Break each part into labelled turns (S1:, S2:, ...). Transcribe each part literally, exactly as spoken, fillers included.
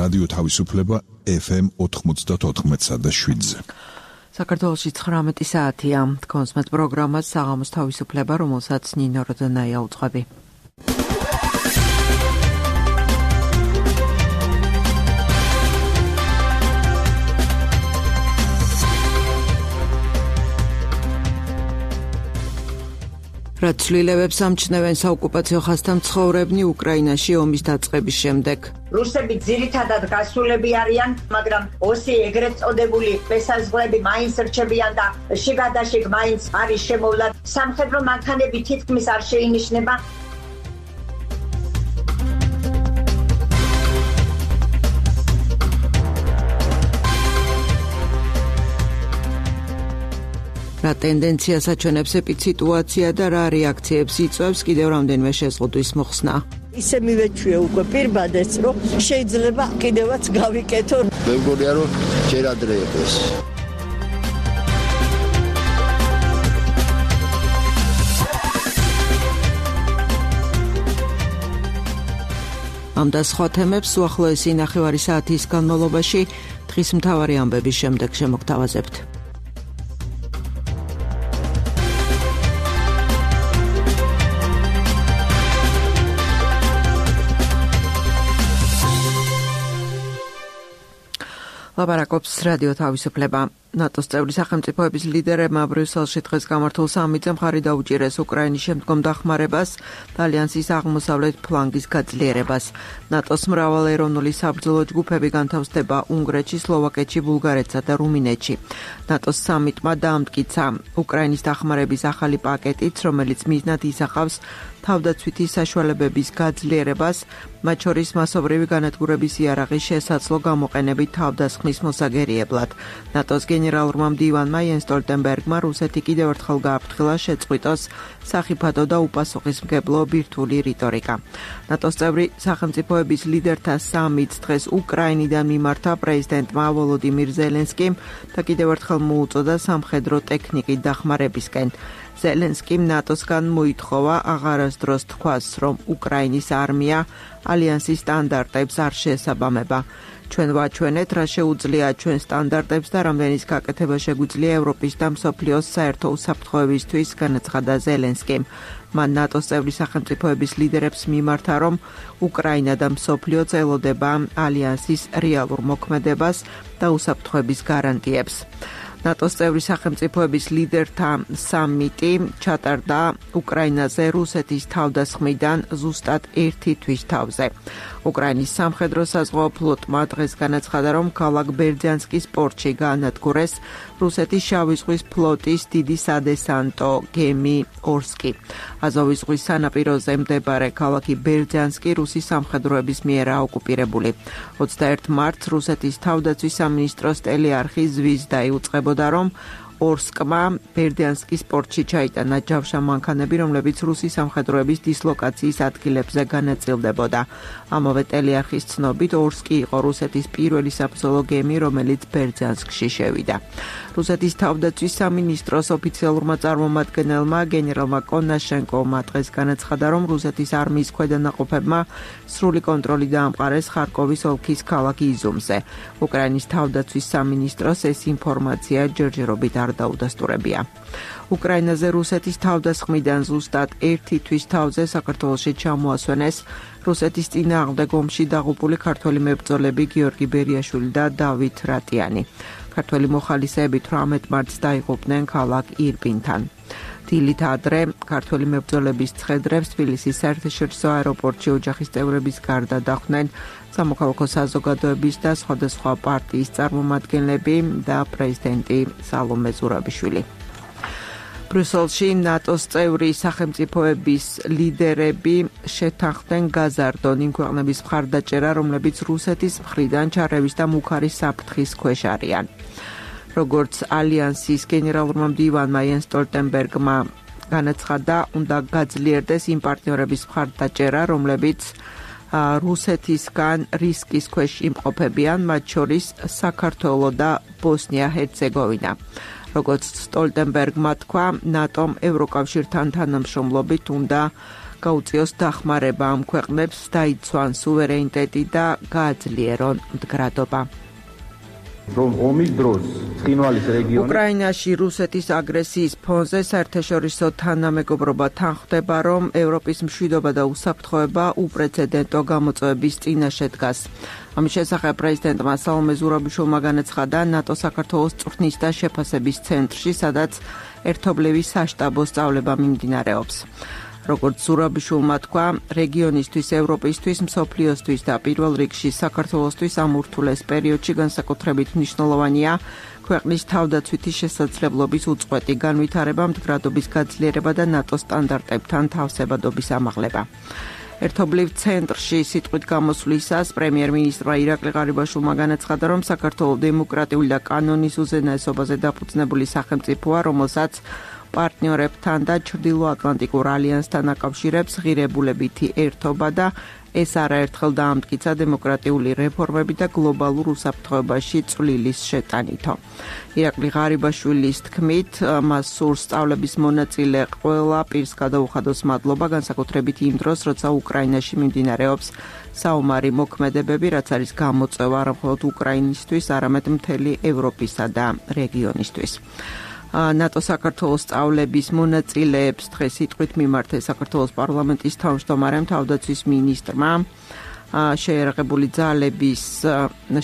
S1: რადიო თავისუფლება ეფ ემ ოთხმოცდაოთხ და შვიდზე.
S2: საქართველოში ცხრამეტი საათია. თქვენს პროგრამას საღამოს თავისუფლება, რომელსაც ნინო როდონაია უძღვები. რაც ცვლილებებს ამჩნევენ საოკუპაციო ხაზთან მცხოვრებნი უკრაინაში ომის დაწყების შემდეგ.
S3: რუსები ძირითადად გასულები არიან, მაგრამ ოსი ეგრეთ წოდებული ბესაზღვრები მაინც რჩებიან და შიგადაშიგ მაინც არის შემოვლა. სამხედრო მანქანები თითქმის არ შეინიშნება. რა ტენდენციას აჩვენებს ეპიციტუაცია და რა რეაქციებს იწვევს, კიდევ რამდენიმე შეზღუდვის მოხსნა.
S4: ისე მივეჩვია უკვე პირბადეს, რომ შეიძლება კიდევაც გავიკეთო.
S5: მე მგონია, რომ ჯერ ადრე იყოს.
S2: ამ და სხვა თემებს უახლოესი ნახევარი საათის განმავლობაში დღის მთავარი ამბების შემდეგ შემოგთავაზებთ. ლაპარაკობს რადიო თავისუფლება. ნატოს წევრი სახელმწიფოების ლიდერებმა ბრიუსელში დღეს გამართულ სამიტზე მხარი დაუჭირეს უკრაინის შემდგომ დახმარებას და ალიანსის აღმოსავლეთ ფლანგის გაძლიერებას. ნატოს მრავალეროვნული საბრძოლო ჯგუფები განთავსდება უნგრეთში, სლოვაკეთში, ბულგარეთსა და რუმინეთში. ნატოს სამიტმა დაამტკიცა უკრაინის დახმარების ახალი პაკეტიც, რომელიც მიზნად ისახავს თავდაცვითი საშუალებების გაძლიერებას, მათ შორის მასობრივი განადგურების იარაღის შესაძლო გამოყენებით თავდასხმის მოსაგერიებლად. ნატოს გენერალურმა მდივანმა იენს სტოლტენბერგმა რუსეთი კიდევ ერთხელ გააფრთხილა შეწყვიტოს სახიფათო და უპასუხისმგებლო ბირთვული რიტორიკა. ნატოს წევრი სახელმწიფოების ლიდერთა სამიტს დღეს უკრაინიდან მიმართა პრეზიდენტმა ვოლოდიმირ ზელენსკიმ და კიდევ ერთხელ მოუწოდა სამხედრო ტექნიკით დახმარებისკენ. ზელენსკიმ ნატოსგან მოითხოვა აღარასდროს თქვას, რომ უკრაინის არმია ალიანსის სტანდარტებს არ შეესაბამება. ჩვენ ვაჩვენეთ, რა შეუძლია ჩვენ სტანდარტებს და რამდენის გაკეთება შეგვიძლია ევროპის და მსოფლიოს საერთო უსაფრთხოებისთვის, განაცხადა ზელენსკიმ. მან ნატოს წევრი სახელმწიფოების ლიდერებს მიმართა, რომ უკრაინა და მსოფლიო წელოდება ალიანსის რეალურ მოქმედებას და უსაფრთხოების გარანტიებს. ნატოს წევრი სახელმწიფოების ლიდერთა სამიტი ჩატარდა უკრაინაზე რუსეთის თავდასხმიდან ზუსტად ერთი თვის თავზე. უკრაინის სამხედრო საზღვაო ფლოტმა დღეს განაცხადა, რომ ქალაქ ბერძანსკის პორტში გაანადგურეს რუსეთის შავი ზღვის ფლოტის დიდი სადესანტო გემი ორსკი. აზოვის ზღვის სანაპიროზე მდებარე ქალაქი ბერძანსკი რუსის სამხედროების მიერა ოკუპირებული. ოცდაერთი მარტს რუსეთის თავდაცვის სამინისტროს ტელეარხი ზვიზდა იუწყებოდა, რომ ორსკმა ბერდიანსკის პორტში ჩაიტანა ჯავშა მანქანები, რომლებიც რუსის სამხედროების დისლოკაციის ადგილებზე განაწილდებოდა. ამავე ტელეარხის ცნობით, ორსკი იყო რუსეთის პირველი საბრძოლო გემი, რომელიც ბერდიანსკში შევიდა. რუსეთის თავდაცვის სამინისტროს ოფიციალურმა წარმომადგენელმა გენერალმა კონაშენკოვმა დღეს განაცხადა, რომ რუსეთის არმიის ქვედანაყოფებმა სრული კონტროლი დაამყარეს ხარკოვის ოლქის ქალაქ იზუმზე. უკრაინის თავდაცვის სამინისტროს ეს ინფორმაცია ჯერჯერობით არ დაუდასტურებია. უკრაინაზე რუსეთის თავდასხმიდან ზუსტად ერთი თვის თავზე საქართველოში ჩამოასვენეს რუსეთის წინააღმდეგ ომში დაღუპული ქართველი მებრძოლები გიორგი ბერიაშვილი და დავით რატიანი. ქართველი მოხალისეები თვრამეტ მარტს დაიღუპნენ ქალაქ ირპინთან. დილით ადრე ქართველი მებრძოლების ცხედრებს თბილისის საერთაშორისო აეროპორტში ოჯახის წევრების გარდა დახვდნენ სამოქალაქო საზოგადოების და სხვადასხვა პარტიის წარმომადგენლები და პრეზიდენტი სალომე ზურაბიშვილი. ბრიუსელში ნატოს წევრი სახელმწიფოების ლიდერები შეთანხმდნენ გაზარდონ იმ ქვეყნების მხარდაჭერა, რომლებიც რუსეთის მხრიდან ჩარევის და მუქარის საფრთხის ქვეშ არიან. როგორც ალიანსის გენერალურმა მდივანმა იენს სტოლტენბერგმა განაცხადა, უნდა გაძლიერდეს იმ პარტნიორების მხარდაჭერა, რომლებიც რუსეთისგან რისკის ქვეშ იმყოფებიან, მათ შორის საქართველო და ბოსნია-ჰერცეგოვინა. როგორც სტოლტენბერგმა თქვა, ნატომ ევროკავშირთან თანამშრომლობით უნდა გაუწიოს დახმარება ამ ქვეყნებს, დაიცვან სუვერენიტეტი და გააძლიერონ მდგრადობა.
S6: რომ ომის დროს ცხინვალის რეგიონი
S2: უკრაინაში რუსეთის აგრესიის ფონზე საერთაშორისო თანამეგობრობა თანხმდება, რომ ევროპის მშვიდობა და უსაფრთხოება უპრეცედენტო გამოწვევების წინაშე დგას. ამის შესახებ პრეზიდენტმა სალომე ზურაბიშვილმა განაცხადა ნატო საქართველოს წვრთნის და შეფასების ცენტრში, სადაც ერთობლივი საშტაბო სწავლება მიმდინარეობს. როგორც ზურაბიშვილმა თქვა, რეგიონისთვის, ევროპისთვის, მსოფლიოსთვის და პირველ რიგში საქართველოსთვის ამ ურთულეს პერიოდში განსაკუთრებით მნიშვნელოვანია ქვეყნის თავდაცვითი შესაძლებლობის უწყვეტი განვითარება, მდგრადობის გაძლიერება და ნატო სტანდარტებთან თავსებადობის ამაღლება. ერთობლივ ცენტრში სიტყვით გამოსვლისას პრემიერ-მინისტრმა ირაკლი ღარიბაშვილმა განაცხადა, რომ საქართველოს დემოკრატიული და კანონის უზენაესობაზე დაფუძნებული სახელმწიფოა, რომელსაც პარტნიორებთან და ჩრდილოატლანტიკურ ალიანსთან აკავშირებს ღირებულებითი ერთობა და ეს არაერთხელ დაამტკიცა დემოკრატიული რეფორმები და გლობალურ უსაფრთხოებაში წვლილის შეტანითო. ირაკლი ღარიბაშვილის თქმით, მას სურს სწავლების მონაწილე ყველა პირს გადაუხადოს მადლობა, განსაკუთრებით იმ დროს, როცა უკრაინაში მიმდინარეობს საომარი მოქმედებები, რაც არის გამოწვევა არა მხოლოდ უკრაინისთვის, არამედ მთელი ევროპისა და რეგიონისთვის. ნატო საქართველოს სწავლების მონაწილეებს დღეს სიტყვით მიმართეს საქართველოს პარლამენტის თავმჯდომარემ, თავდაცვის მინისტრმა, შეიარაღებული ძალების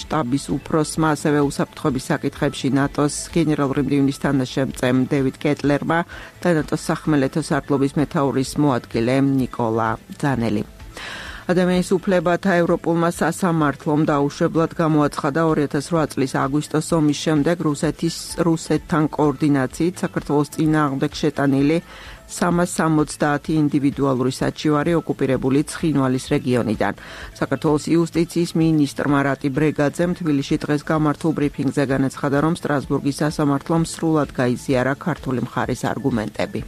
S2: შტაბის უფროსმა, ასევე უსაფრთხოების საკითხებში ნატოს გენერალური მდივნის თანაშემწემ დევიდ კეტლერმა და ნატოს სახმელეთო სარდლობის მეთაურის მოადგილე ნიკოლა ძანელი. ადამიანის უფლებათა ევროპულმა სასამართლომ დაუშვებლად გამოაცხადა ორი ათას რვა წლის აგვისტოს ომის შემდეგ რუსეთის რუსეთთან კოორდინაციით საქართველოს წინააღმდეგ შეტანილი სამას სამოცდაათი ინდივიდუალური საჩივარი ოკუპირებული ცხინვალის რეგიონიდან. საქართველოს იუსტიციის მინისტრმა რატი ბრეგაძემ თბილისში დღეს გამართულ ბრიფინგზე განაცხადა, რომ სტრასბურგის სასამართლომ სრულად გაიზიარა ქართული მხარის არგუმენტები.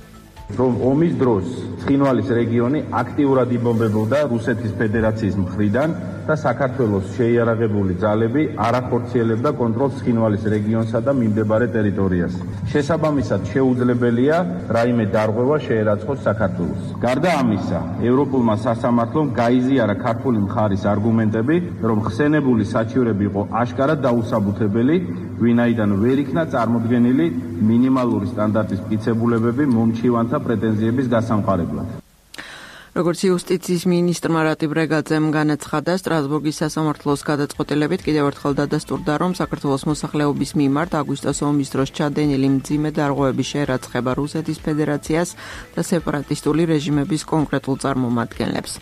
S6: რომ ომის დროს ცხინვალის რეგიონი აქტიურად იბომბებოდა რუსეთის ფედერაციის მხრიდან და საქართველოს შეიარაღებული ძალები არ ახორციელებდა კონტროლს ცხინვალის რეგიონსა და მიმდებარე ტერიტორიას. შესაბამისად შეუძლებელია რაიმე დარღვევა შეერაცხოს საქართველოს. გარდა ამისა, ევროპულმა სასამართლომ გაიზიარა ქართული მხარის არგუმენტები, რომ ხსენებული საჩივრები იყო აშკარად დაუსაბუთებელი, ვინაიდან ვერ იქნა წარმოდგენილი მინიმალური სტანდარტის მტკიცებულებები მომჩივანთა პრეტენზიების გასამყარებლად.
S2: როგორც იუსტიციის მინისტრმა რატი ბრეგაძემ განაცხადა, სტრასბურგის სასამართლოს გადაწყვეტილებით კიდევ ერთხელ დადასტურდა, რომ საქართველოს მოსახლეობის მიმართ აგვისტოს ომის დროს ჩადენილი მძიმე დარღვევების შეერაცხება რუსეთის ფედერაციას და სეპარატისტული რეჟიმების კონკრეტულ წარმომადგენლებს.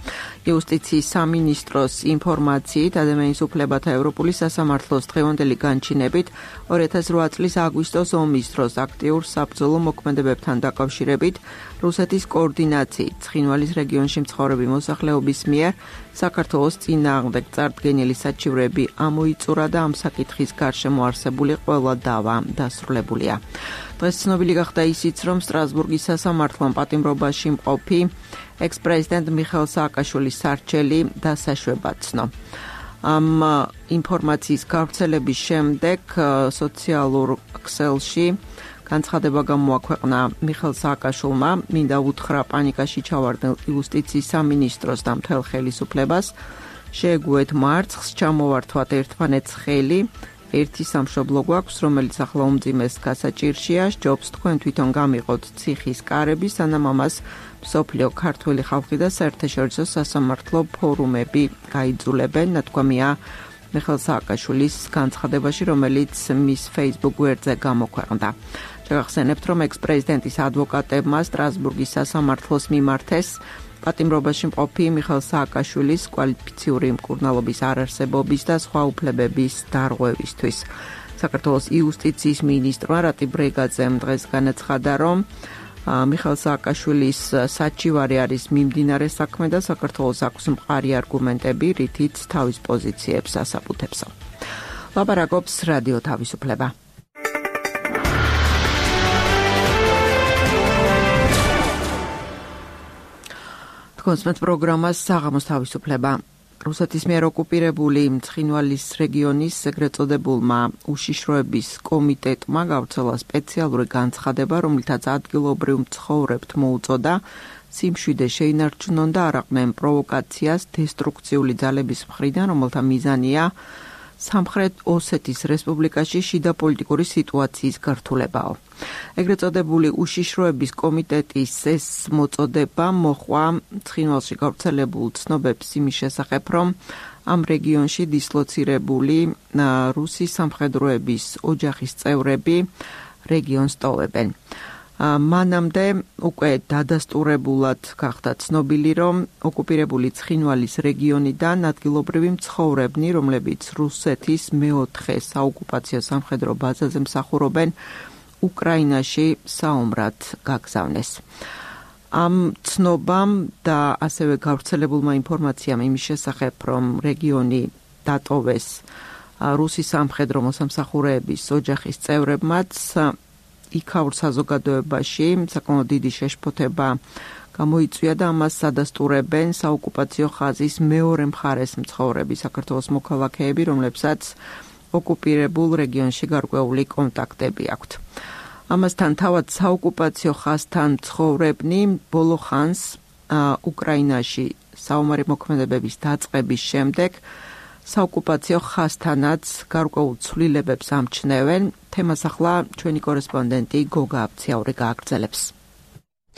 S2: იუსტიციის სამინისტროს ინფორმაციით, ადამიანის უფლებათა ევროპული სასამართლოს დღევანდელი განჩინებით ორი ათას რვა წლის აგვისტოს ომის დროს აქტიურ საბრძოლო მოქმედებებთან დაკავშირებით რუსეთის კოორდინაციით ცხინვალის რეგიონში მცხოვრები მოსახლეობის მიერ საქართველოს წინააღმდეგ წარდგენილი საჩივრები ამოიწურა და ამ საკითხის გარშემო არსებული ყველა დავა დასრულებულია. დღეს ცნობილი გახდა ისიც, რომ სტრასბურგის სასამართლომ პატიმრობაში მყოფი ექს-პრეზიდენტ მიხეილ სააკაშვილის სარჩელი დასაშვება ცნო. ამ ინფორმაციის გავრცელების შემდეგ სოციალურ ქსელში განცხადება გამოაქვეყნა მიხეილ სააკაშვილმა, მინდა უთხრა პანიკაში ჩავარდნილ იუსტიციის სამინისტროს და მთელ ხელისუფლებას, შეეგუეთ მარცხს, ჩამოვართვათ ერთმანეთს ხელი, ერთი სამშობლო გვაქვს, რომელიც ახლა უმძიმეს გასაჭირშია, სჯობს თქვენ თვითონ გამიყოთ ციხის კარები, სანამ ამას მსოფლიო ქართველი ხალხი და საერთაშორისო სასამართლო ფორუმები გაიძულებენ, ნათქვამია მიხეილ სააკაშვილის განცხადებაში, რომელიც მის Facebook გვერდზე გამოქვეყნდა. შეგახსენებთ, რომ ექს-პრეზიდენტის ადვოკატებმა სტრასბურგის სასამართლოს მიმართეს პატიმრობაში მყოფი მიხეილ სააკაშვილის კვალიფიციური მკურნალობის არარსებობის და სხვა უფლებების დარღვევისთვის. საქართველოს იუსტიციის მინისტრმა რატი ბრეგაძემ დღეს განაცხადა, რომ მიხეილ სააკაშვილის საჩივარი არის მიმდინარე საქმე და საქართველოს აქვს მყარი არგუმენტები, რითიც თავის პოზიციებს ასაბუთებსო. ლაპარაკობს რადიო თავისუფლება. კონსმეთ პროგრამას საღამოს თავისუფლება. რუსეთის მიერ ოკუპირებული ცხინვალის რეგიონის ეგრეთ წოდებულმა უშიშროების კომიტეტმა გავრცელა სპეციალური განცხადება, რომლითაც ადგილობრივ მცხოვრებთ მოუწოდა სიმშვიდე შეინარჩუნონ და არ აყნენ პროვოკაციას დესტრუქციული ძალების მხრიდან, რომელთა მიზანია სამხრეთ ოსეთის რესპუბლიკაში შიდა პოლიტიკური სიტუაციის გართულებაო. ეგრეთ წოდებული უშიშროების კომიტეტის ეს მოწოდება მოჰყვა ცხინვალში გავრცელებულ ცნობებს იმის შესახებ, რომ ამ რეგიონში დისლოცირებული რუსის სამხედროების ოჯახის წევრები რეგიონს ტოვებენ. მანამდე უკვე დადასტურებულად გახდა ცნობილი, რომ ოკუპირებული ცხინვალის რეგიონიდან ადგილობრივი მცხოვრებნი, რომლებიც რუსეთის მეოთხე საოკუპაციო სამხედრო ბაზაზე მსახურობენ, უკრაინაში საომრად გაგზავნეს. ამ ცნობამ და ასევე გავრცელებულმა ინფორმაციამ იმის შესახებ, რომ რეგიონი დატოვეს რუსის სამხედრო მოსამსახურეების ოჯახის წევრებმაც, იქაურ საზოგადოებაში საკმაოდ დიდი შეშფოთება გამოიწვია და ამას ადასტურებენ საოკუპაციო ხაზის მეორე მხარეს მცხოვრები საქართველოს მოქალაქეები, რომლებსაც ოკუპირებულ რეგიონში გარკვეული კონტაქტები აქვთ. ამასთან თავად საოკუპაციო ხაზთან მცხოვრებნი ბოლო ხანს უკრაინაში საომარი მოქმედებების დაწყების შემდეგ საოკუპაციო ხაზთანაც გარკვეულ ცვლილებებს ამჩნევენ. თემას ახლა ჩვენი კორესპონდენტი გოგა აბციაური გააგრძელებს.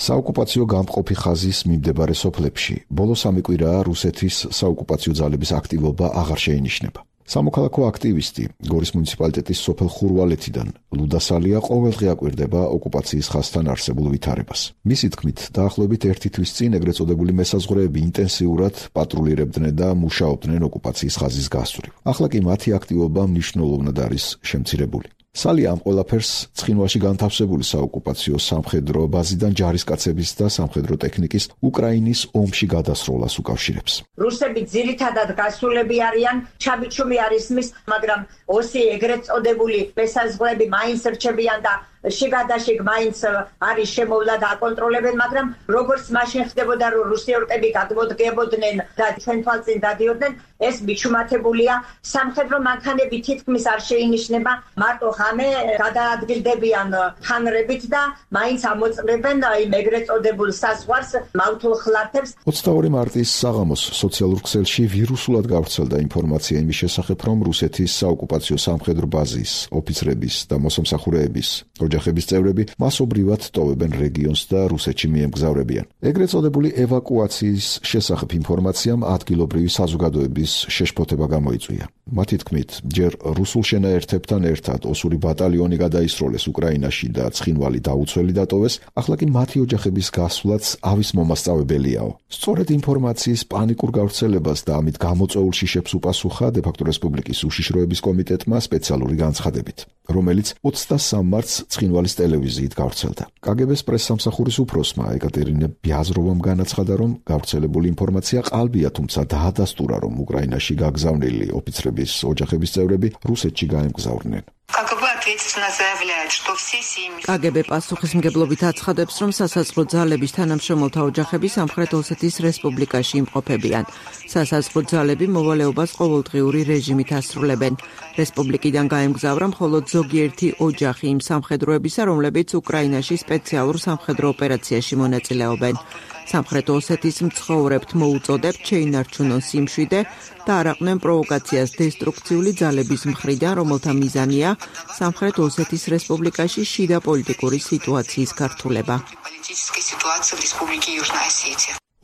S7: საოკუპაციო გამყოფი ხაზის მიმდებარე სოფლებში ბოლო სამი კვირაა რუსეთის საოკუპაციო ძალების აქტივობა აღარ შეინიშნება. სამოქალაქო აქტივისტი გორის მუნიციპალიტეტის სოფელ ხურვალეთიდან ლუდა სალია ყოველდღე აკვირდება ოკუპაციის ხაზთან არსებულ ვითარებას. მისი თქმით, დაახლოებით ერთი თვის წინ ეგრეთ წოდებული მესაზღვრეები ინტენსიურად პატრულირებდნენ და მუშაობდნენ ოკუპაციის ხაზის გასწვრივ. ახლა კი მათი აქტივობა მნიშვნელოვნად არის შემცირებული. სალია ამ ყველაფერს ცხინვალში განთავსებული საოკუპაციო სამხედრო ბაზიდან ჯარისკაცების და სამხედრო ტექნიკის უკრაინის ომში გადასროლას უკავშირებს.
S3: რუსები ძირითადად გასულები არიან, ჩაბიჩუმი არის მის, მაგრამ ოსი ეგრეთ წოდებული მესაზღვრეები მაინც რჩებიან და შიგადაშიგ მაინც არის შემოვლა და აკონტროლებენ, მაგრამ როგორც მაშინ ხდებოდა, რომ რუსიორკები გადმოდგებოდნენ და ჩვენ თვალწინ დადიოდნენ, ეს მიჩუმათებულია. სამხედრო მანქანები თითქმის არ შეინიშნება, მარტო ღამე გადაადგილდებიან ხანრებით და მაინც ამოწმებენ იმ ეგრეთ წოდებულ საზღვარს მავთულ ხლართებს.
S7: ოცდაორი მარტის საღამოს სოციალურ ქსელში ვირუსულად გავრცელდა ინფორმაცია იმის შესახებ, რომ რუსეთის საოკუპაციო სამხედრო ბაზის ოფიცრების და მოსამსახურეების ოჯახების წევრები მასობრივად ტოვებენ რეგიონს და რუსეთში მიემგზავრებიან. ეგრეთ წოდებული ევაკუაციის შესახებ ინფორმაციამ ადგილობრივი საზოგადოების შეშფოთება გამოიწვია. მათი თქმით, ჯერ რუსულ შენაერთებთან ერთად ოსური ბატალიონი გადაისროლეს უკრაინაში და ცხინვალი დაუცველი დატოვეს, ახლა კი მათი ოჯახების გასვლაც ავის მომასწავებელიაო. სწორედ ინფორმაციის პანიკურ გავრცელებას და ამით გამოწვეულ შიშებს უპასუხა დე-ფაქტო რესპუბლიკის უშიშროების კომიტეტმა სპეციალური განცხადებით, რომელიც ოცდასამ მარტს ცხინვალის ტელევიზიით გავრცელდა. კაგებეს პრესსამსახურის უფროსმა ეკატერინე ბიაზროვამ განაცხადა, რომ გავრცელებული ინფორმაცია ყალბია, თუმცა დაადასტურა, რომ უკრაინაში გაგზავნილი ოფიცრების ოჯახების წევრები რუსეთში გაემგზავრნენ.
S2: კაგებე პასუხისმგებლობით აცხადებს, რომ სასაზღვრო ძალების თანამშრომელთა ოჯახები სამხრეთ ოსეთის რესპუბლიკაში იმყოფებიან. სასაზღვრო ძალები მოვალეობას ყოველდღიური რეჟიმით ასრულებენ. რესპუბლიკიდან გაემგზავრა მხოლოდ ზოგიერთი ოჯახი იმ სამხედროებისა, რომლებიც უკრაინაში სპეციალურ სამხედრო ოპერაციაში მონაწილეობენ. სამხრეთ ოსეთის მცხოვრებთ მოუწოდებთ შეინარჩუნონ სიმშვიდე და არ აყნენ პროვოკაციას დესტრუქციული ძალების მხრიდან, რომელთა მიზანია სამხრეთ ოსეთის რესპუბლიკაში შიდა პოლიტიკური სიტუაციის გართულება.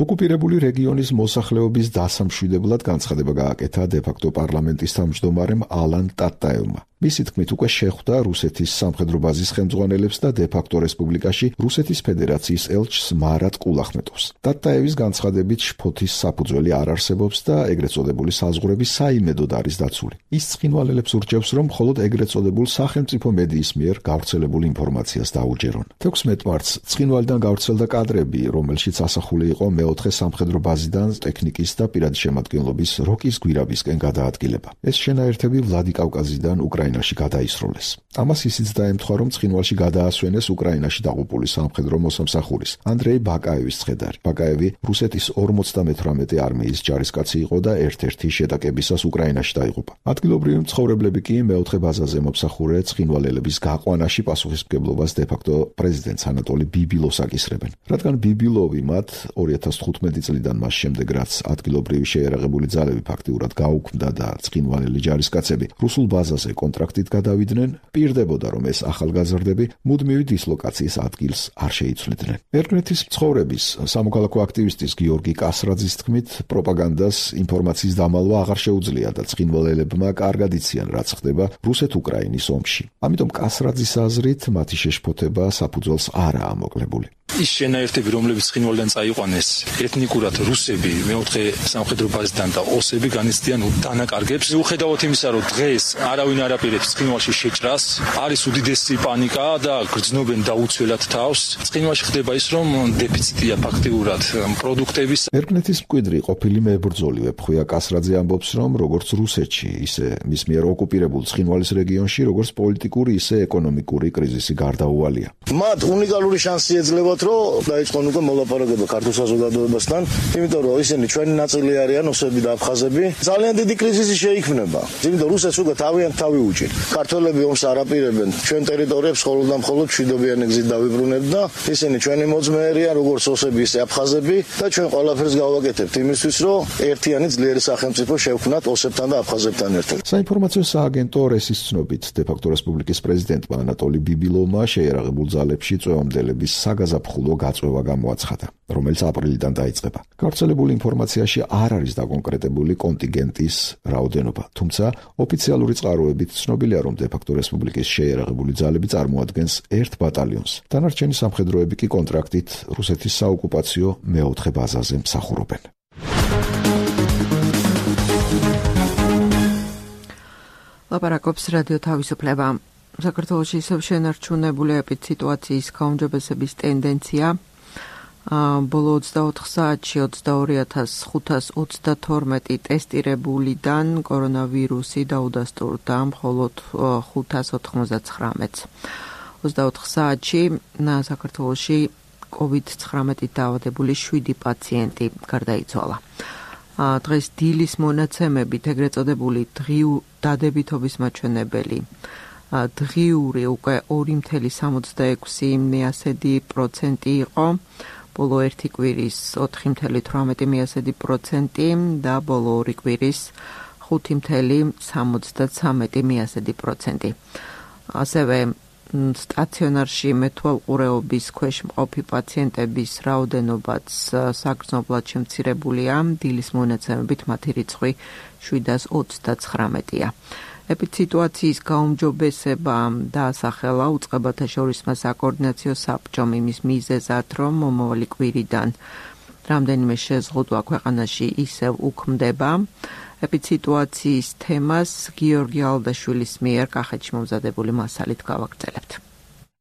S7: ოკუპირებული რეგიონის მოსახლეობის დასამშვიდებლად განცხადება გააკეთა დე-ფაქტო პარლამენტის თავმჯდომარემ ალან ტატაევმა. მისი თქმით, უკვე შეხვდა რუსეთის სამხედრო ბაზის ხელმძღვანელებს და დე-ფაქტო რესპუბლიკაში რუსეთის ფედერაციის ელჩს მარატ კულახმეტოვს. ტატაევის განცხადებით შფოთის საფუძველი არ არსებობს და ეგრეთ წოდებული საზღვრები საიმედოდ არის დაცული. ის ცხინვალელებს ურჩევს, რომ მხოლოდ ეგრეთ წოდებულ სახელმწიფო მედიის მიერ გავრცელებულ ინფორმაციას დაუჯერონ. თექვსმეტ მარტს ცხინვალიდან გავრცელდა კადრები, რომელშიც ასახული იყო მეოთხე სამხედრო ბაზიდან ტექნიკის და პირადი შემადგენლობის როკის გვირაბისკენ გადაადგილება. ეს შენაერთები ვლადიკავკაზიდან უკრაინაში უკრაინაში გადაისროლეს. ამას ისიც დაემთხვა, რომ ცხინვალში გადაასვენეს უკრაინაში დაღუპული სამხედრო მოსამსახურის ანდრეი ბაკაევის ცხედარი. ბაკაევი რუსეთის ორმოცდამეთვრამეტე არმიის ჯარისკაცი იყო და ერთ-ერთი შეტაკებისას უკრაინაში დაიღუპა. ადგილობრივი მცხოვრებლები კი მეოთხე ბაზაზე მომსახურე ცხინვალელების გაყვანაში პასუხისმგებლობას დე-ფაქტო პრეზიდენტს ანატოლი ბიბილოვს აკისრებენ. რადგან ბიბილოვი მათ ორი ათას თხუთმეტი წლიდან მას შემდეგ, რაც ადგილობრივი შეიარაღებული ძალები ფაქტიურად გაუქმდა და ცხინვალელი ჯარისკაცები რუსულ ბაზაზე კონტრაქტით გადავიდნენ, პირდებოდა, რომ ეს ახალგაზრდები მუდმივი დისლოკაციის ადგილს არ შეიცვლიდნენ. ერგნეთის მცხოვრების სამოქალაქო აქტივისტის გიორგი კასრაძის თქმით, პროპაგანდას ინფორმაციის დამალვა აღარ შეუძლია და ცხინვალელებმა კარგად იციან, რაც ხდება რუსეთ-უკრაინის ომში. ამიტომ კასრაძის აზრით, მათი შეშფოთება საფუძველს არაა მოკლებული.
S8: ის შენაერთები, რომლებიც ცხინვალიდან წაიყვანეს, ეთნიკურად რუსები, მეოთხე სამხედრო ბაზიდან და ოსები განიცდიან დანაკარგებს. მიუხედავად იმისა, რომ დღეს არავინ არ აპირებს ცხინვალში შეჭრას, არის უდიდესი პანიკა და გრძნობენ დაუცველად თავს. ცხინვალში ხდება ის, რომ დეფიციტია ფაქტიურად პროდუქტების.
S7: ერგნეთის მკვიდრი ყოფილი მებრძოლი ვეფხვია კასრაძე ამბობს, რომ როგორც რუსეთში, ისე მის მიერ ოკუპირებულ ცხინვალის რეგიონში, როგორც პოლიტიკური, ისე ეკონომიკური კრიზისი გარდაუვალია.
S9: მათ უნიკალური შანსი ეძლევათ, რომ დაიწყონ უკვე მოლაპარაკება ქართულ საზოგადოებასთან, იმიტომ რომ ისინი ჩვენი ნაწილი არიან, ოსები და აფხაზები. ძალიან დიდი კრიზისი შეიქმნება. იმიტომ რუსეთს უკვე თავიანთ თავი უჭირ. ქართველები ომს არ აპირებენ ჩვენ ტერიტორიებს მხოლოდ და მხოლოდ მშვიდობიანი გზით დავიბრუნებთ და ისინი ჩვენი მოძმეერია, როგორც ოსები, ისე აფხაზები და ჩვენ ყველაფერს გავაკეთებთ იმისთვის, რომ ერთიანი ძლიერი სახელმწიფო შევქმნათ ოსებთან და აფხაზებთან ერთად.
S7: საინფორმაციო სააგენტო რესის ცნობით, დე-ფაქტო რესპუბლიკის პრეზიდენტმა ანატოლი ბიბილოვმა შეიარაღებულ ძალებში წვევამდელების საგაზაფხულო გაწვევა გამოაცხადა, რომელიც აპრილიდან დაიწყება. გავრცელებული ინფორმაციაში არ არის დაკონკრეტებული კონტინგენტის რაოდენობა, თუმცა ოფიციალური წყაროებით ცნობილია, რომ დე-ფაქტო რესპუბლიკის შეიარაღებული ძალები წარმოადგენს ერთ ბატალიონს. დანარჩენი სამხედროები კი კონტრაქტით რუსეთის საოკუპაციო მეოთხე ბაზაზე მსახურობენ.
S2: ლაპარაკობს რადიო თავისუფლება. საქართველოში ისევ შენარჩუნებული ეპიდსიტუაციის გაუმჯობესების ტენდენცია. ბოლო ოცდაოთხ საათში ოცდაორი ათას ხუთას ოცდათორმეტი ტესტირებულიდან კორონავირუსი დაუდასტურდა მხოლოდ ხუთას ოთხმოცდაცხრამეტს. ოცდაოთხ საათში საქართველოში კოვიდ ცხრამეტით დაავადებული შვიდი პაციენტი გარდაიცვალა. დღეს დილის მონაცემებით ეგრეთ წოდებული დღიურ დადებითობის მაჩვენებელი დღიური უკვე ორი მცდარი სამოცდაექვსი პროცენტი იყო, ბოლო ერთი კვირის ოთხი მცდარი თვრამეტი პროცენტი და ბოლო ორი კვირის ხუთი მცდარი სამოცდაცამეტი პროცენტი. ასევე სტაციონარში მეთვალყურეობის ქვეშ მყოფი პაციენტების რაოდენობაც საგრძნობლად შემცირებულია, დილის მონაცემებით მათი რიცხვი შვიდას ოცდაცხრამეტია. ეპიდსიტუაციის გაუმჯობესება დაასახელა უწყებათა შორისმა საკოორდინაციო საბჭომ იმის მიზეზად, რომ მომავალი კვირიდან რამდენიმე შეზღუდვა ქვეყანაში ისევ უქმდება. ეპიდსიტუაციის თემას გიორგი ალდაშვილის მიერ კახეთში მომზადებული მასალით გავაგრძელებთ.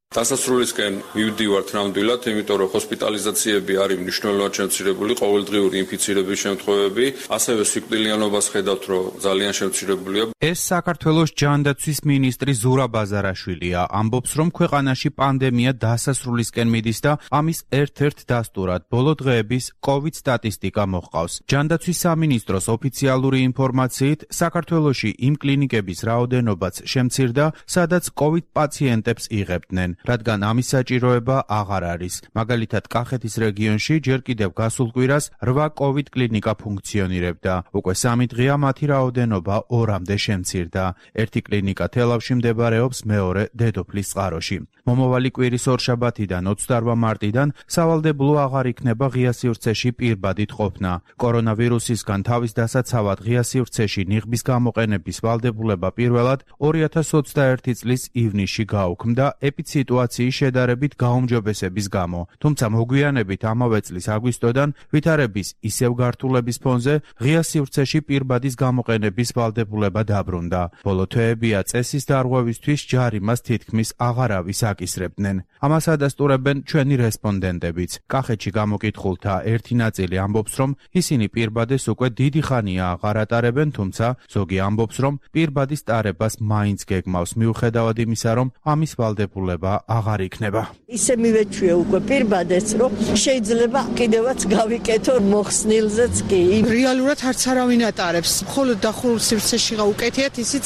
S10: დასასრულისკენ მივდივართ ნამდვილად, იმიტომ რომ ჰოსპიტალიზაციები არის მნიშვნელოვნად შემცირებული, ყოველდღიური ინფიცირების შემთხვევები, ასევე სიკვდილიანობას ხედავთ, რომ ძალიან შემცირებულია.
S11: ეს საქართველოს ჯანდაცვის მინისტრი ზურაბ ბაზარაშვილია, ამბობს, რომ ქვეყანაში პანდემია დასასრულისკენ მიდის და ამის ერთ-ერთ დასტურად ბოლო დღეების კოვიდ სტატისტიკა მოჰყავს. ჯანდაცვის სამინისტროს ოფიციალური ინფორმაციით, საქართველოში იმ კლინიკების რაოდენობაც შემცირდა, სადაც კოვიდ პაციენტებს იღებდნენ. რადგან ამის საჭიროება აღარ არის. მაგალითად, კახეთის რეგიონში ჯერ კიდევ გასულ კვირას რვა კოვიდ კლინიკა ფუნქციონირებდა. უკვე სამი დღეა მათი რაოდენობა ორამდე შემცირდა. ერთი კლინიკა თელავში მდებარეობს, მეორე დედოფლის წყაროში. მომავალი კვირის ორშაბათიდან ოცდაორ მარტიდან სავალდებულო აღარ იქნება ღია სივრცეში პირბადით ყოფნა. კორონავირუსისგან თავის დასაცავად ღია სივრცეში ნიღბის გამოყენების ვალდებულება პირველად ორი ათას ოცდაერთი წლის ივნისში გაუქმდა ეპიდსიტუაციის სიტუაციის შედარებით გაუმჯობესების გამო. თუმცა მოგვიანებით ამავე წლის აგვისტოდან ვითარების ისევ გართულების ფონზე ღია სივრცეში პირბადის გამოყენების ვალდებულება დაბრუნდა. ბოლო თვეებია წესის დარღვევისთვის ჯარიმას თითქმის აღარავის აკისრებდნენ. ამას ადასტურებენ ჩვენი რესპონდენტებიც. კახეთში გამოკითხულთა ერთი ნაწილი ამბობს, რომ ისინი პირბადეს უკვე დიდი ხანია აღარ ატარებენ, თუმცა ზოგი ამბობს, რომ პირბადის ტარებას მაინც გეგმავს, მიუხედავად იმისა, რომ ამის ვალდებულება აღარ იქნება.
S4: ისე მივეჩვია უკვე პირბადეს, რომ შეიძლება კიდევაც გავიკეთო მოხსნილზეც კი.
S12: რეალურად არც არავინ ატარებს. მხოლოდ დახურულ სივრცეში გაუკეთიათ, ისიც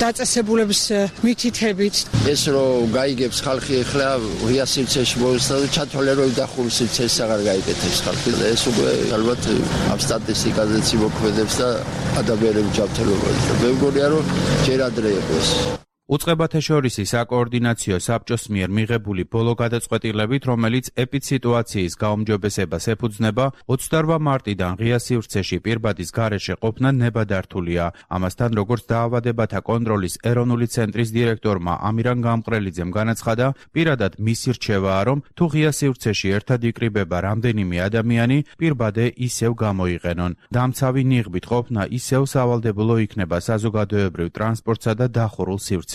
S12: დაწესებულების მითითებით.
S5: ეს რომ გაიგებს ხალხი ახლა ღია სივრცეში მოესწრა და ჩათვალე რომ დახურულ სივრცეში აღარ გაიკეთებს ხალხი. ეს უკვე ალბათ ამ სტატისტიკაზეც იმოქმედებს და ადამიანების ჯანმრთელობაზე. მე მგონია რომ ჯერ ადრე იყოს.
S11: უწყებათა შორისი საკოორდინაციო საბჭოს მიერ მიღებული ბოლო გადაწყვეტილებით, რომელიც ეპიდსიტუაციის გაუმჯობესებას ეფუძნება, ოცდაორმა მარტიდან ღია სივრცეში პირბადის გარეშე ყოფნა ნებადართულია. ამასთან, როგორც დაავადებათა კონტროლის ეროვნული ცენტრის დირექტორმა ამირან გამყრელიძემ განაცხადა, პირადად მისი რჩევაა, რომ თუ ღია სივრცეში ერთად იკრიბება რამდენიმე ადამიანი, პირბადე ისევ გამოიყენონ. დამცავი ნიღბით ყოფნა ისევ სავალდებულო იქნება საზოგადოებრივ ტრანსპორტსა და დახურულ სივრცეებში.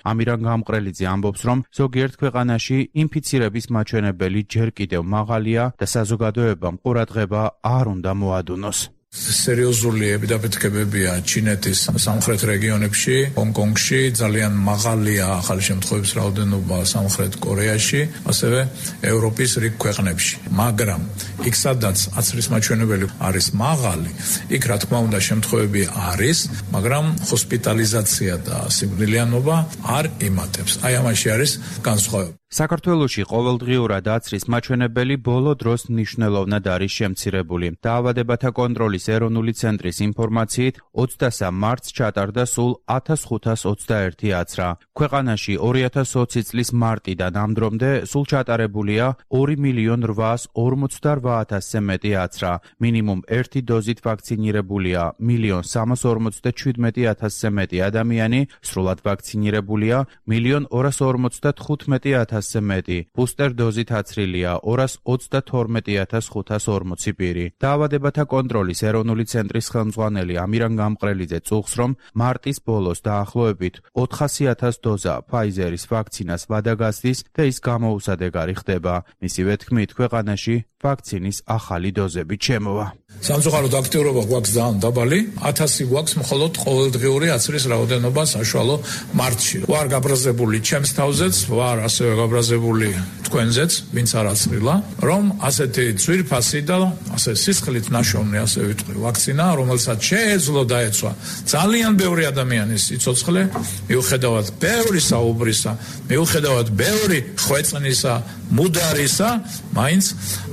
S11: ამირან გამყრელიძე ამბობს, რომ ზოგიერთ ქვეყანაში ინფიცირების მაჩვენებელი ჯერ კიდევ მაღალია და საზოგადოებამ ყურადღება არ უნდა მოადუნოს.
S13: სერიოზული ეპიდემიებია ჩინეთის სამხრეთ რეგიონებში, ჰონგ-კონგში, ძალიან მაღალია ახალი შემთხვევების რაოდენობა სამხრეთ კორეაში, ასევე ევროპის რიგ ქვეყნებში. მაგრამ იქ სადაც აცრის მაჩვენებელი არის მაღალი, იქ რა თქმა უნდა შემთხვევები არის, მაგრამ ჰოსპიტალიზაცია და სიკვდილიანობა არ იმატებს. აი ამაში არის განსხვავება.
S11: საქართველოში ყოველდღიურად აცრის მაჩვენებელი ბოლო დროს მნიშვნელოვნად არის შემცირებული. დაავადებათა კონტროლის ეროვნული ცენტრის ინფორმაციით, ოცდასამ მარტს ჩატარდა სულ ათას ხუთას ოცდაერთი აცრა. ქვეყანაში ორი ათას ოცი წლის მარტიდან ამ დრომდე სულ ჩატარებულია ორი მილიონ რვაას ორმოცდარვა ათასზე მეტი აცრა. მინიმუმ ერთი დოზით ვაქცინირებულია მილიონ სამას ორმოცდაჩვიდმეტი ათასზე მეტი ადამიანი, სრულად ვაქცინირებულია მილიონ ორას ორმოცდათხუთმეტი ათასზე მეტი. ბუსტერ დოზით აცრილია ორას ოცდათორმეტი ათას ხუთას ორმოცი პირი. დაავადებათა კონტროლის ეროვნული ცენტრის ხელმძღვანელი ამირან გამყრელიძე წუხს, რომ მარტის ბოლოს დაახლოებით ოთხასი ათას დოზა ფაიზერის ვაქცინას ვადაგასდის და ის გამოუსადეგარი ხდება. მისივე თქმით, ქვეყანაში ვაქცინის ახალი დოზები ჩემოვა.
S13: სამწუხაროდ აქტიურობა გვაქვს ძალიან დაბალი, ათასი გვაქვს მხოლოდ ყოველდღიური აცრის რაოდენობა საშუალო მარტში. ვარ გაბრაზებული ჩემს თავზეც, ვარ ასევე გაბრაზებული თქვენზეც, ვინც არ აცრილა, რომ ასეთი ძვირფასი და ასე სისხლით ნაშოვნი, ასე ვიტყვი, ვაქცინა, რომელსაც შეეძლო დაეცვა ძალიან ბევრი ადამიანის სიცოცხლე, მიუხედავად ბევრი საუბრისა, მიუხედავად ბევრი ხვეწნისა, მუდარისა, მაინც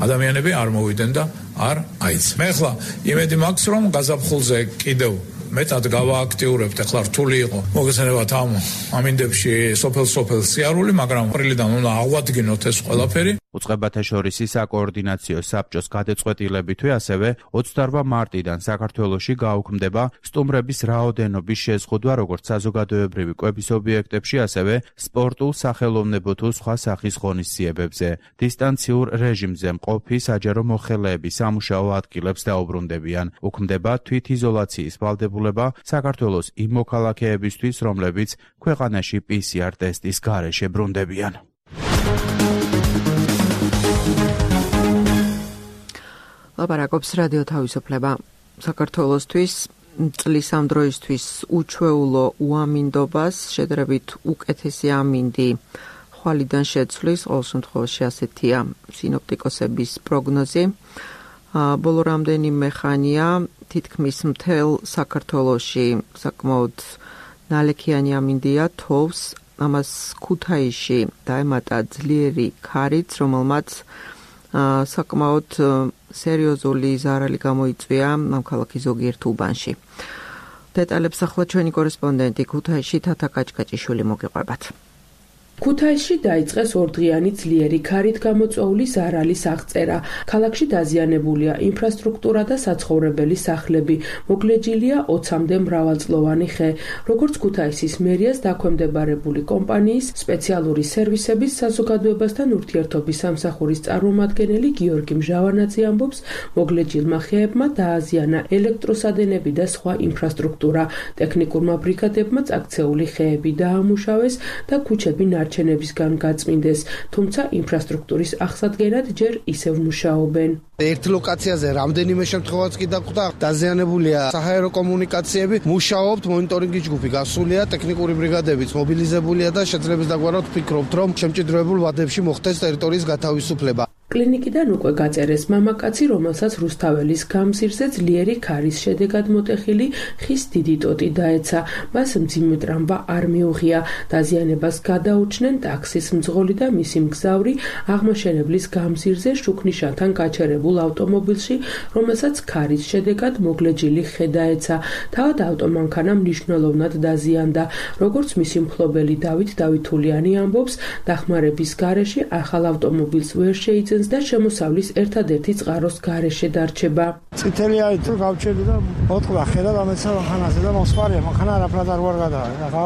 S13: ადამიანები არ მოვიდნენ და არ აიცა. მე ახლა იმედი მაქვს, რომ გაზაფხულზე კიდევ მეტად გავააქტიურებთ, ახლა რთული იყო მოგესალმებათ ამ ამინდებში სოფელ-სოფელ სიარული, მაგრამ პრილიდან უნდა აღვადგინოთ ეს ყველაფერი.
S11: უწყებათა შორისი საკოორდინაციო საბჭოს გადაწყვეტილებითვე ასევე ოცდაორმა მარტიდან საქართველოში გაუქმდება სტუმრების რაოდენობის შეზღუდვა როგორც საზოგადოებრივი კვების ობიექტებში, ასევე სპორტულ, სახელოვნებო თუ სხვა სახის ღონისძიებებზე. დისტანციურ რეჟიმზე მყოფი საჯარო მოხელეები სამუშაო ადგილებს დაუბრუნდებიან. უქმდება თვითიზოლაციის ვალდებულება საქართველოს იმ მოქალაქეებისთვის, რომლებიც ქვეყანაში პი სი არ ტესტის გარეშე ბრუნდებიან.
S2: ლაპარაკობს რადიო თავისუფლება. საქართველოსთვის წლის ამ დროისთვის უჩვეულო უამინდობას შედარებით უკეთესი ამინდი ხვალიდან შეცვლის, ყოველ შემთხვევაში ასეთია სინოპტიკოსების პროგნოზი. ბოლო რამდენიმე ხანია თითქმის მთელ საქართველოში საკმაოდ ნალექიანი ამინდია თოვს, ამას ქუთაისში დაემატა ძლიერი ქარიც, რომელმაც საკმაოდ სერიოზული ზარალი გამოიწვია ამ ქალაქის ზოგიერთ უბანში. დეტალებს ახლა ჩვენი კორესპონდენტი ქუთაისში თათა კაჭკაჭიშვილი მოგიყვებათ.
S14: ქუთაისში დაიწყეს ორდღიანი ძლიერი ქარით გამოწვეული ზარალის აღწერა. ქალაქში დაზიანებულია ინფრასტრუქტურა და საცხოვრებელი სახლები. მოგლეჯილია ოცამდე მრავალწლოვანი ხე. როგორც ქუთაისის მერიას დაქვემდებარებული კომპანიის სპეციალური სერვისების საზოგადოებასთან ურთიერთობის სამსახურის წარმომადგენელი გიორგი მჟავანაძე ამბობს, მოგლეჯილმა ხეებმა დააზიანა ელექტროსადენები და სხვა ინფრასტრუქტურა. ტექნიკურმა ბრიგადებმა წაქცეული ხეები დაამუშავეს და ქუჩები ნარჩენებისგან გაწმინდეს, თუმცა ინფრასტრუქტურის აღსადგენად ჯერ ისევ მუშაობენ.
S15: ერთ ლოკაციაზე რამდენიმე შემთხვევაც კი დაგვხვდა, დაზიანებულია საჰაერო კომუნიკაციები, მუშაობთ მონიტორინგი ჯგუფი, გასულია ტექნიკური ბრიგადებიც მობილიზებულია და შეძლებს დაგვარავთ ვფიქრობთ, რომ შემჭიდროებულ ვადებში მოხდეს ტერიტორიის გათავისუფლება.
S14: კლინიკიდან უკვე გაწერეს მამაკაცი, რომელსაც რუსთაველის გამზირზე ძლიერი ქარის შედეგად მოტეხილი ხის დიდი ტოტი დაეცა. მას მძიმე ტრამვა არ მიუღია. დაზიანებას გადაუჩნენ ტაქსის მძღოლი და მისი მგზავრი აღმაშენებლის გამზირზე შუქნიშანთან გაჩერებულ ავტომობილში, რომელსაც ქარის შედეგად მოგლეჯილი ხე დაეცა. თავად ავტომანქანა მნიშვნელოვნად დაზიანდა. როგორც მისი მფლობელი დავით დავითულიანი ამბობს, დახმარების გარეშე ახალ ავტომობილს ვერ შეიძენს და შემოსავლის ერთადერთი წყაროს გარეშე დარჩება.
S16: წითელი არის თუ გავჩერდი და მოტყვა ხედა დამეცა მანქანაზე და მოსვარია მანქანა არაფრად არ ვარ გადაა. ახლა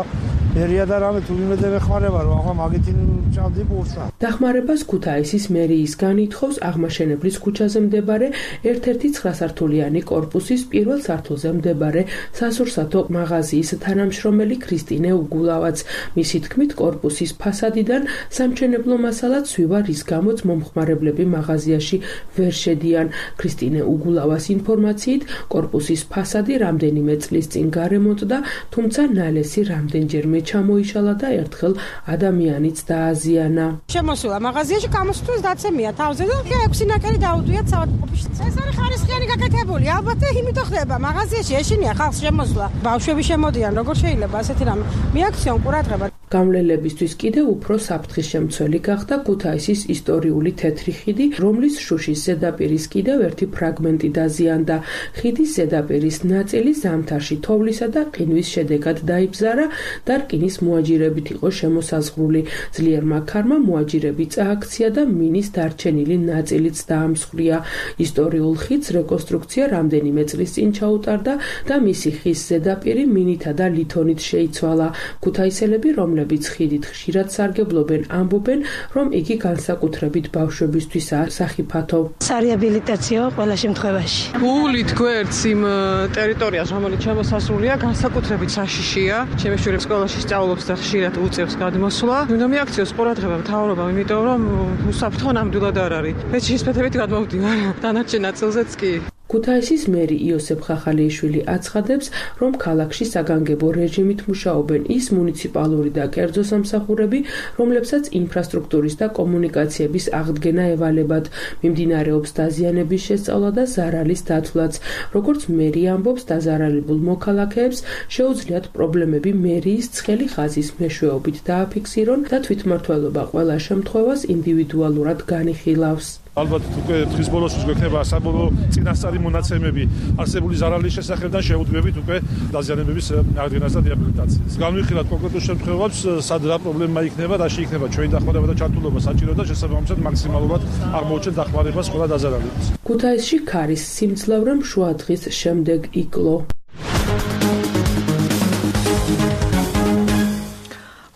S16: მერია და რამე თუ იმედე მეხმარება რომ ახლა მაგითი ჭამდი პურსა.
S14: დახმარებას ქუთაისის მერიისგან ითხოვს აღმაშენებლის ქუჩაზე მდებარე ერთ-ერთი ცხრასართულიანი კორპუსის პირველ სართულზე მდებარე სასურსათო მაღაზიის თანამშრომელი ქრისტინე უგულავაც. მისი თქმით, კორპუსის ფასადიდან სამშენებლო მასალა ცვივა, რის გამოც მომხმარებლები მაღაზიაში ვერ შედიან. ქრისტინე უგულავას ინფორმაციით, კორპუსის ფასადი რამდენიმე წლის წინ გარემონტდა, თუმცა ნალესი რამდენჯერმე ჩამოიშალა და ერთხელ ადამიანიც დააზიანა.
S12: შემოსულა მაღაზიაში, გამოსვლის დაცემია თავზე და ექვსი ნაკერი დაუდვიათ საავადმყოფოში. ეს არის ხარისხიანი გაკეთებული. ალბათ იმიტომ ხდება მაღაზიაში ეშინია ხალხს შემოსვლა. ბავშვები შემოდიან, როგორ შეიძლება ასეთი რამე მიაქციონ ყურადღება.
S14: გამლელებისთვის კიდევ უფრო საფრთხის შემცველი გახდა ქუთაისის ისტორიული თეთრი ხიდი, რომლის შუშის ზედაპირის კიდევ ერთი ფრაგმენტი დაზიანდა. ხიდის ზედაპირის ნაწილი ზამთარში თოვლისა და ყინვის შედეგად დაიბზარა და რკინის მოაჯირებით იყო შემოსაზღვრული. ძლიერმა ქარმა მოაჯირები წააქცია და მინის დარჩენილი ნაწილიც დაამსხვრია. ისტორიულ ხიდს რეკონსტრუქცია რამდენიმე წლის წინ ჩაუტარდა და მისი ხის ზედაპირი მინითა და ლითონით შეიცვალა. ქუთაისელები, რომლებიც ხიდით ხშირად სარგებლობენ, ამბობენ, რომ იგი განსაკუთრებით ბავშვებისთვისაა სახიფათო.
S17: სარეაბილიტაციო ყველა შემთხვევაში.
S12: გულით გვერდს იმ ტერიტორიას, რომელიც შემოსასრულია, განსაკუთრებით საშიშია. ჩემი შვილი სკოლაში სწავლობს და ხშირად უწევს გადმოსვლა. უნდა მიაქციოს ყურადღება მთავრობამ, იმიტომ რომ უსაფრთხო ნამდვილად არ არის. ფეჩის ფეთებით გადმოვდივარ. დანარჩენ ნაწილზეც კი.
S14: ქუთაისის მერი იოსებ ხახალიშვილი აცხადებს, რომ ქალაქში საგანგებო რეჟიმით მუშაობენ ის მუნიციპალური და კერძო სამსახურები, რომლებსაც ინფრასტრუქტურის და კომუნიკაციების აღდგენა ევალებათ. მიმდინარეობს დაზიანების შესწავლა და ზარალის დათვლაც. როგორც მერი ამბობს, დაზარალებულ მოქალაქეებს შეუძლიათ პრობლემები მერიის ცხელი ხაზის მეშვეობით დააფიქსირონ და თვითმმართველობა ყველა შემთხვევას ინდივიდუალურად განიხილავს.
S18: ალბათ უკვე დღის ბოლოს გვექნება საბოლოო წინასწარი მონაცემები არსებული ზარალის შესახებ და შეუძლებთ უკვე დაზიანებების აღდგენას და რეაბილიტაციას. განვიხილოთ კონკრეტულ შემთხვევებს, სად რა პრობლემა იქნება, რაში იქნება ჩვენი დახმარება და ჩართულობა საჭირო და შესაბამისად მაქსიმალურად აღმოუჩენ დახმარებას ყველა დაზარალებას.
S14: ქუთაისში ქარის სიმძლავრემ შუა დღის შემდეგ იკლო.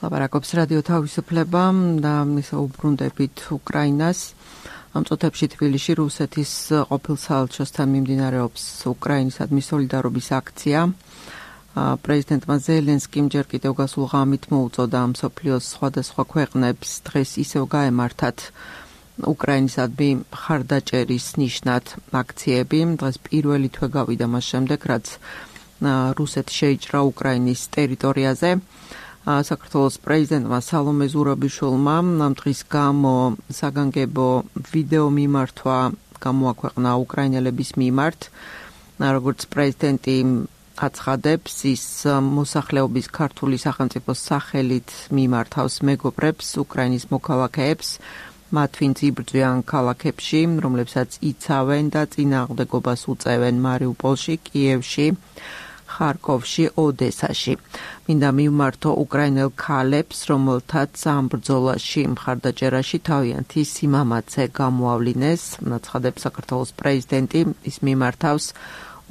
S2: ლაპარაკობს რადიო თავისუფლება და მისა უბრუნდებით უკრაინას. ამ წუთებში თბილისში რუსეთის ყოფილ საელჩოსთან მიმდინარეობს უკრაინისადმი სოლიდარობის აქცია. პრეზიდენტმა ზელენსკიმ ჯერ კიდევ გასულ ღამით მოუწოდა მსოფლიოს სხვადასხვა ქვეყნებს დღეს ისევ გაემართათ უკრაინისადმი მხარდაჭერის ნიშნად აქციები. დღეს პირველი თვე გავიდა მას შემდეგ, რაც რუსეთი შეიჭრა უკრაინის ტერიტორიაზე. საქართველოს პრეზიდენტმა სალომე ზურაბიშვილმა ამ დღის გამო საგანგებო ვიდეო მიმართვა გამოაქვეყნა უკრაინელების მიმართ. როგორც პრეზიდენტი აცხადებს, ის მოსახლეობის ქართული სახელმწიფოს სახელით მიმართავს მეგობრებს, უკრაინის მოქალაქეებს, მათ ვინც იბრძვიან ქალაქებში, რომლებსაც იცავენ და წინააღმდეგობას უწევენ მარიუპოლში, კიევში, ხარკოვში, ოდესაში. მინდა მივმართო უკრაინელ ქალებს, რომელთაც ამ ბრძოლაში მხარდაჭერაში თავიანთი სიმამაცე გამოავლინეს, აცხადებს საქართველოს პრეზიდენტი. ის მიმართავს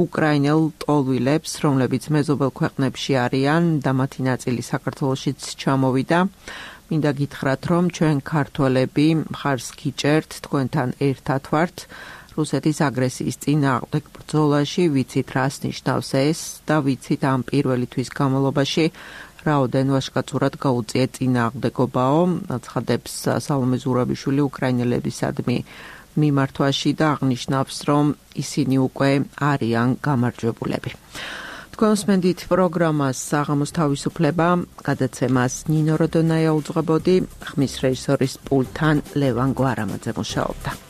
S2: უკრაინელ ტოლვილებს, რომლებიც მეზობელ ქვეყნებში არიან და მათი ნაწილი საქართველოშიც ჩამოვიდა. მინდა გითხრათ, რომ ჩვენ ქართველები მხარს გიჭერთ, თქვენთან ერთად ვართ რუსეთის აგრესიის წინააღმდეგ ბრძოლაში, ვიცით რას ნიშნავს ეს და ვიცით ამ პირველი თვის განმავლობაში რაოდენ ვაჟკაცურად გაუწია წინააღმდეგობაო, აცხადებს სალომე ზურაბიშვილი უკრაინელებისადმი მიმართვაში და აღნიშნავს, რომ ისინი უკვე არიან გამარჯვებულები. თქვენ უსმენთ პროგრამას საღამოს თავისუფლება, გადაცემას ნინო როდონაია უძღვებოდი, ხმის რეჟისორის პულტთან ლევან გვარამაძე მუშაობდა.